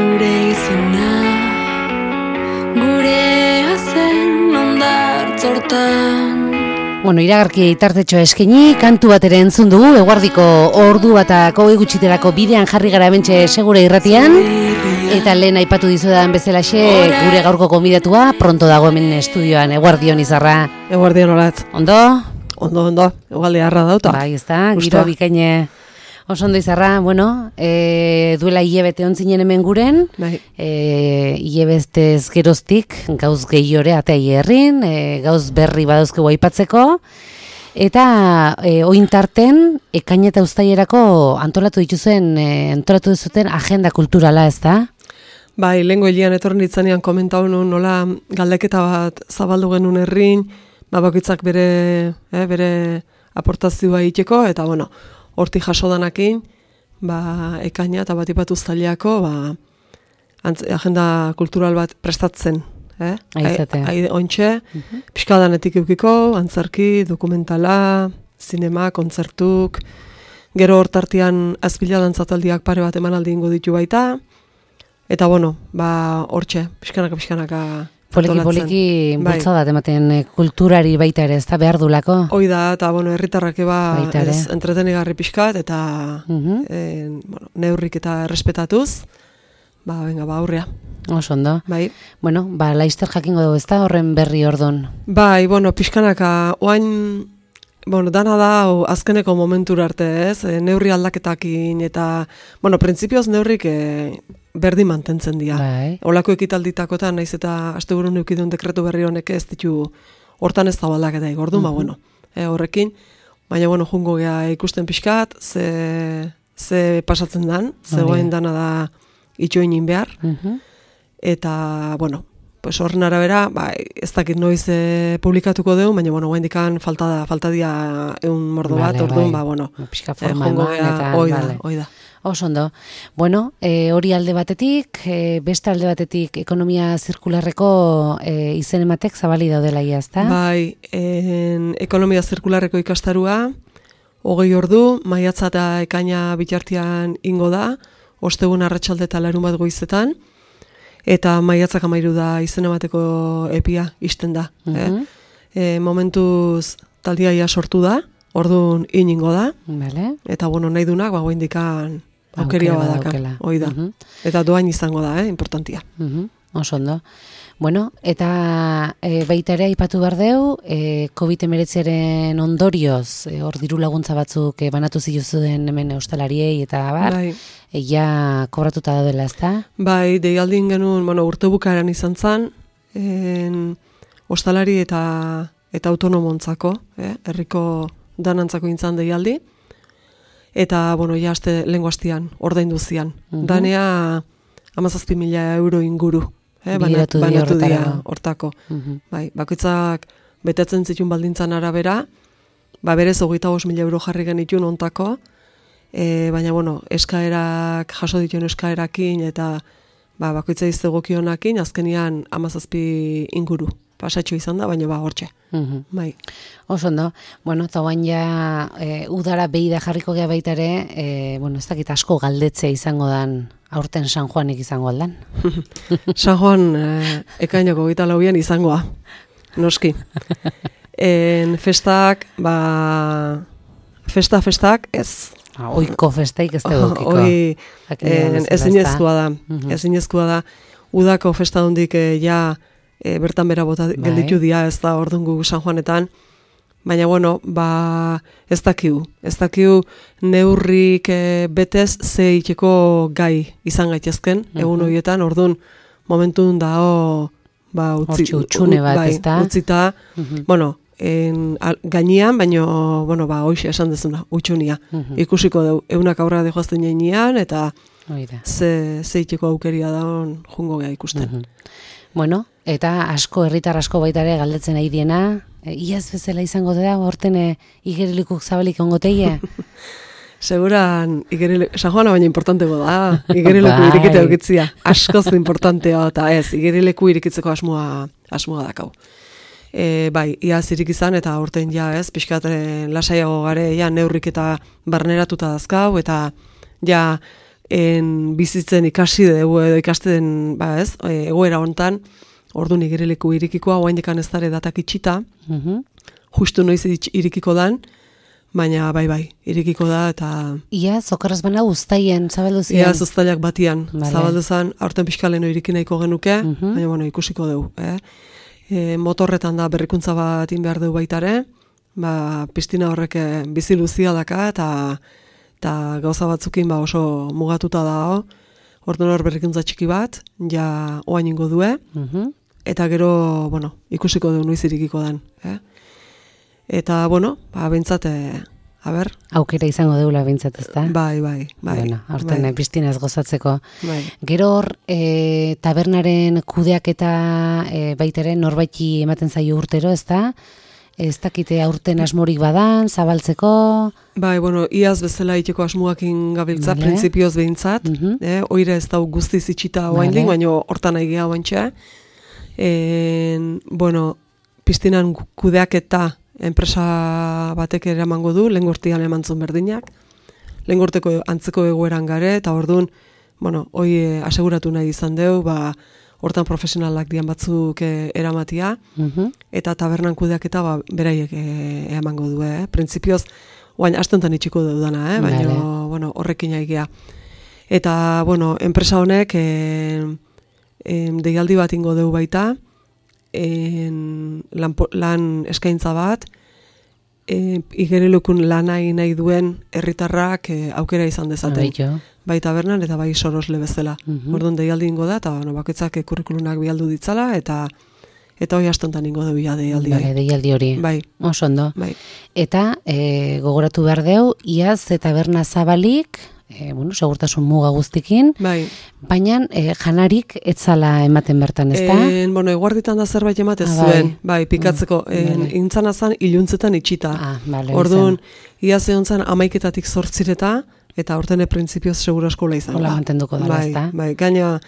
zure izena, gure zen ondartz hortan. Bueno, iragarki tartetxo eskaini, kantu bat ere entzun dugu, eguardiko ordu batako gutxiterako bidean jarri gara hementxe Segure Irratian, eta lehen aipatu dizudan bezalaxe gure gaurko gonbidatua, pronto dago hemen estudioan, eguardion Izarra. Eguardion olatz. Ondo? Ondo, egualdi harra dauta. Bai, ez da, giro bikaine. Oso ondo Izarra, bueno, duela hilebete ontzinen hemen guren, bai. Hilebestez geroztik, gauz gehiore ateai herrin, gauz berri badauzkegu aipatzeko, eta ointarten, ekain eta uztailerako antolatu duzuten agenda kulturala, ez da? Bai, lehengo hilian etorren ditzanean komentau nun, nola galdeketa bat zabaldu genuen herrin, bakoitzak bere aportazioa egiteko, eta bueno, hortik jaso danakin, ekaina eta batipatu uztaileako, agenda kultural bat prestatzen. Ointxe, pixkadanetik eukiko, antzerki, dokumentala, zinema, kontzertuk, gero hortartian azpila dantzataldiak pare bat emanaldi ingo ditu baita, eta bueno, hortxe, pixkanaka Poliki bultzada ematen kulturari baita ere, ez da behar dulako? Hoi da, eta bueno, herritarrak entretenigarri pixkat, eta neurrik eta errespetatuz, aurrea. Oso ondo. Bai. Bueno, laizter jakingo dugu, ez da horren berri ordon? Bai, bueno, pixkanaka, oain, dana da, azkeneko momentura arte, ez? Neurri aldaketakin, eta, printzipioz neurrik berdin mantentzen dira. Bai. Olako ekitalditakotan, naiz eta asteburun eukidun dekretu berri honek ez ditu hortan ez da aldaketa igordu, horrekin, baina, jungo gea ikusten pixkat, ze pasatzen dan, ze guain dana da itxoinin behar, eta, horren arabera, ez dakit noiz publikatuko dugu, baina, guain dikan falta dia eun mordo bat, orduan, pixka forma eman, hoi da. Oso ondo. Bueno, hori alde batetik, beste alde batetik ekonomia zirkularreko izen ematek zabali daudela ia, ezta? Bai, ekonomia zirkularreko ikastarua, 20 ordu, maiatza eta ekaina bitartean ingo da, ostegun arratsalde eta larun bat goizetan, eta maiatzak 13 da izen emateko epia isten da. Momentuz taldia ia sortu da, orduan iningo da, eta nahi dunak, indikan aukeria badaka, hoi da. Eta doain izango da, importantia. Oso ondo. Bueno, eta baita ere aipatu behar deu, COVID-19 ondorioz, hor diru laguntza batzuk banatu zituzten hemen ostalariei eta bar, ja kobratuta daudela, ez da? Bai, deialdin genuen, urte bukaeran izan zan, ostalari eta autonomontzako, herriko danantzako intzan deialdi, eta, ja, lehengo hastian, ordaindu zian. Danea 17.000 euro inguru, banatu dira hortako. Bakoitzak betetzen zituen baldintzan arabera, berez 25.000 euro jarri genituen ontako, baina, eskaerak, jaso dituen eskaerakin, eta bakoitza iztegokionakin, azkenian 17 inguru. Pasatxo izan da, baina hortxe. Bai. Oso ondo. Bueno, eta guain ja udara behi da jarriko gea baita ere, ez dakit asko galdetzea izango dan, aurten San Juanik izango aldan. San Juan ekainoko 24an izangoa, noski. Festak, festak ez. Oiko festaik ez da dukiko. Ezinezkoa da. Udako festa hondik bertan bera bota gelditu dira, ez da ordungu San Juanetan, baina ez dakiu neurrik betez ze itxeko gai izan gaitezken, egun horietan, orduan momentun da utxune bat, ez da? Utzita, gainean, baina hoxe esan dezuna, utxunia. Ikusiko dugu, eunak aurra dejoazten jainean, eta ze itxeko aukeria da jungo gea ikusten. Bueno, eta herritar asko baita ere galdetzen ari diena, iaz bezala izango da, horten igerilikuk zabalik ongoteie? Seguran, San Juana baina importantego da, igerileku irikite dukitzia, askoz importantea, eta ez, igerileku irikitzeko asmoa dakau. Iaz irik izan, eta horten ja ez, pixkat lasaiago gare, neurrik eta barneratuta dazkau, eta ja bizitzen ikasi dugu edo ikasten, egoera hontan, orduan igerileko irikikoa, oaindekan ez dara datak itxita, justu noiz irikiko dan, baina bai, irikiko da, eta... Iaz, okarraz bana uztaien, zabaldu ziren? Iaz, uztailak batian, zabaldu zen, aurten pixkaleno iriki nahiko genuke, baina, ikusiko dugu, motorretan da berrikuntza bat in behar dugu baitare, piztina horrek bizi luzia daka, eta gauza batzukin oso mugatuta da, orduan hor berrikuntza txiki bat, ja oain ingo due, eta gero, ikusiko dugu noiz irikiko den. Eta, bentsat, aukera izango deula bintzat, ez da? Bai. Horten, piztinaz gozatzeko. Bai. Gero hor, tabernaren kudeak eta baitaren norbaiti ematen zaio urtero, ez da? Ez dakite aurten asmorik badan, zabaltzeko? Bai, iaz bezala iteko asmoakin gabiltza, printzipioz behintzat. Oire ez da guztiz itxita oaindik, baina hortan nahi geha oaintxe. Piztinan kudeak eta enpresa batek ere emango du, lehengortian emantzun berdinak. Lehengorteko antzeko egoeran gare, eta orduan, hoi aseguratu nahi izan deu, hortan profesionalak dian batzuk eramatia, eta tabernan kudeak eta beraiek emango du. Printzipioz, oain astontan itxiko dudana, baina horrekin aigea. Eta, enpresa honek deialdi bat ingo deu baita, lan eskaintza bat, igerilukun lanai nahi duen herritarrak aukera izan dezaten. Bai tabernan eta bai sorosle bezala. Orduan deialdi ingo da, eta bakoitzak kurrikulunak bialdu ditzala, eta hoi astontan ingo dugu deialdi hori. Deialdi hori. Bai. Oso ondo. Bai. Eta gogoratu behar deu, iaz taberna zabalik, segurtasun muga guztikin, baina janarik etzala ematen bertan, ez da? Eguarditan da zerbait ematez zuen, pikatzeko, intzana zan iluntzetan itxita. Orduan, iaz egon zan 11:00 zortzireta, eta hortene printzipioz seguro eskola izan. Hola mantenduko dara, ez da? Bai, gaina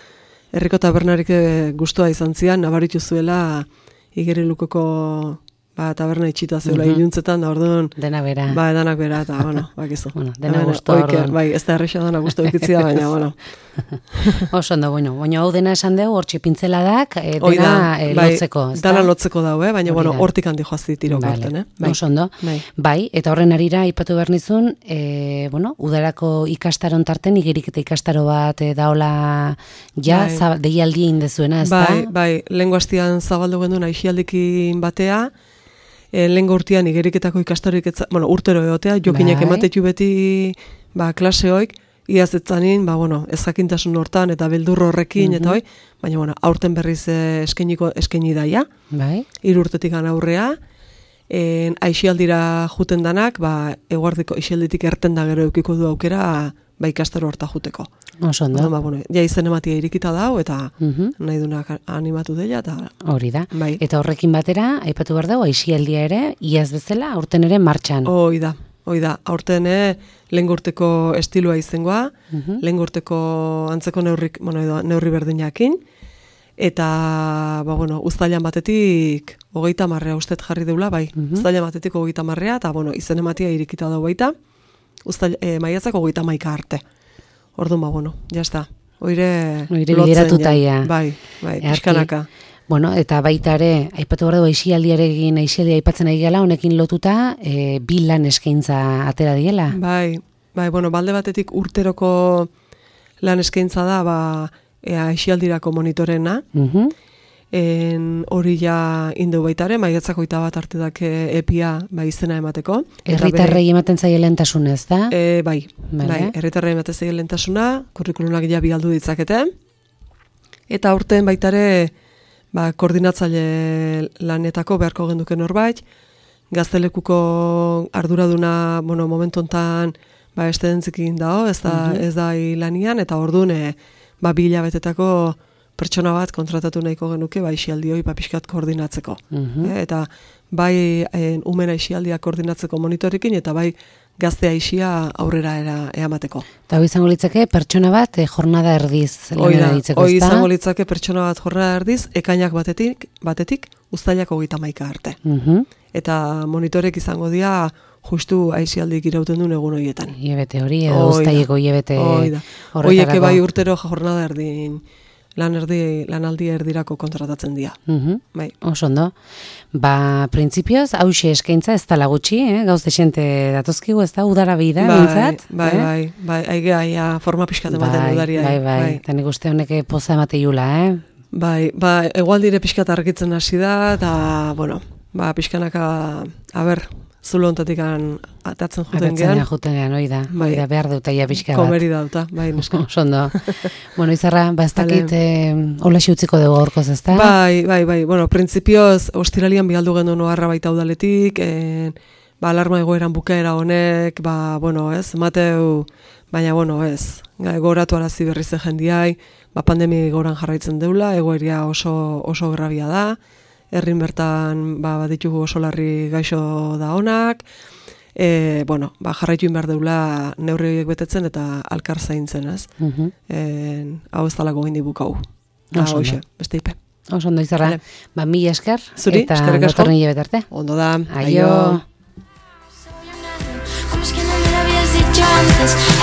herriko tabernarik gustua izan zian, nabaritu zuela igerilukoko taberna itxita zeula iluntzetan, da orduan... Dena bera. Danak bera, eta, bakizu. Dena guztua orduan. Bai, ez da errexo dana guztua ikitzia, baina, Oso ondo, hau dena esan dugu, hortxe pintzeladak, dena lotzeko, ez da? Dana lotzeko daue, baina, hortik handi joazti tiro garten, Oso ondo. Bai, eta horren arira, ipatu behar nizun, udarako ikastaron tarten, igerik eta ikastaro bat daola, deialdi indezuena, ez da? Bai, lehen guaztian zabaldu genduen aixialdikin batea, lehengo urtean igeriketako ikastaroik, urtero egotea, jokinek ematetu beti klaseoik, iaz etzanin, ezakintasun hortan, eta beldurro horrekin, eta hoi, baina, aurten berriz eskaini daia, 3 urtetik aurrea, aixialdira juten danak, eguardiko aixialditik erten da gero eukiko du aukera, ikastaro horta juteko. Oso ondo. Ja izen ematia irikita dau, eta nahi dunak animatu dela, eta... Hori da. Eta horrekin batera, aipatu behar dago, aixialdia ere, iaz bezala, aurten ere martxan. Hoi da. Aurten lehengurteko estiloa izengoa, lehengurteko antzeko neurri berdinakin, eta, uztailan batetik 30 ustet jarri deula, uztailan batetik 30, eta, izen ematia irikita dau baita, maiatzako 31 arte. Orduan, jazta. Oire geratuta ia. Bai, pixkanaka. Eta baita ere, aipatu behar dugu aixialdia aipatzen ari gala, honekin lotuta, 2 lan eskaintza atera diela. Bai, balde batetik urteroko lan eskaintza da, aixialdirako monitorena, hori ja indu baitare, maiatzako 21 artetak epia izena emateko. Herritarrei ematen zaie lehentasunez, da? Bai, herritarrei ematen zaie lehentasuna, kurrikulunak ja bialdu ditzakete, eta aurten baitare koordinatzaile lanetako beharko genduken norbait, gaztelekuko arduraduna, momentu hontan estedentzikin dago, ez da lanian, eta orduan 2 hilabetetako pertsona bat kontratatu nahiko genuke aixialdioi pixkat koordinatzeko. Eta bai umen aixialdia koordinatzeko monitorikin, eta bai gazte aixia aurrera eamateko. Eta hori izango litzake pertsona bat jornada erdiz lanera ditzeko, hori izango litzake pertsona bat jornada erdiz, ekainak batetik uztailak 31 arte. Eta monitorek izango dira justu aizialdik irauten duen egun horietan. Iebete hori, edo uztaileko iebete horretarako. Hoiek bai urtero jornada erdin, lanaldi erdirako kontratatzen dira. Bai. Oso ondo. Printzipioz, hause eskaintza ez tala gutxi, gauz desente datozkigu, ez da, udara bida, bintzat? Bai, aigea forma pixkat ematen udaria. Bai, eta nik uste honek poza emate iula, Bai, egualdire pixkat argitzen hasi da, eta, bueno, pixkanaka, zulo ontatik atatzen juten gehan. Juten gehan, oida behar dutaia pixka bat. Komeri dauta, bai, neska. Sondo. Bueno, Izarra, ez dakit hola utziko dugu gaurkoz, ez da? Bai, bueno, printzipioz, ostiralian bialdu gendu noarra baita udaletik, alarma egoeran bukaera honek, bueno, ez, mateu, baina, bueno, ez, goratu arazi berriz jendiai, pandemi goran jarraitzen deula, egoeria oso grabia da, herrin bertan ditugu oso larri gaixo da honak, bueno, jarraitu behar deula neurriak betetzen eta alkar zaintzen, ez? Hau ez talako gindi bukau. Hoxe, beste ipe. Oso ondo Izarra, mila esker, zuri, eta datorren hile betarte. Ondo da, aio. ¿Cómo es que no me lo habías dicho antes?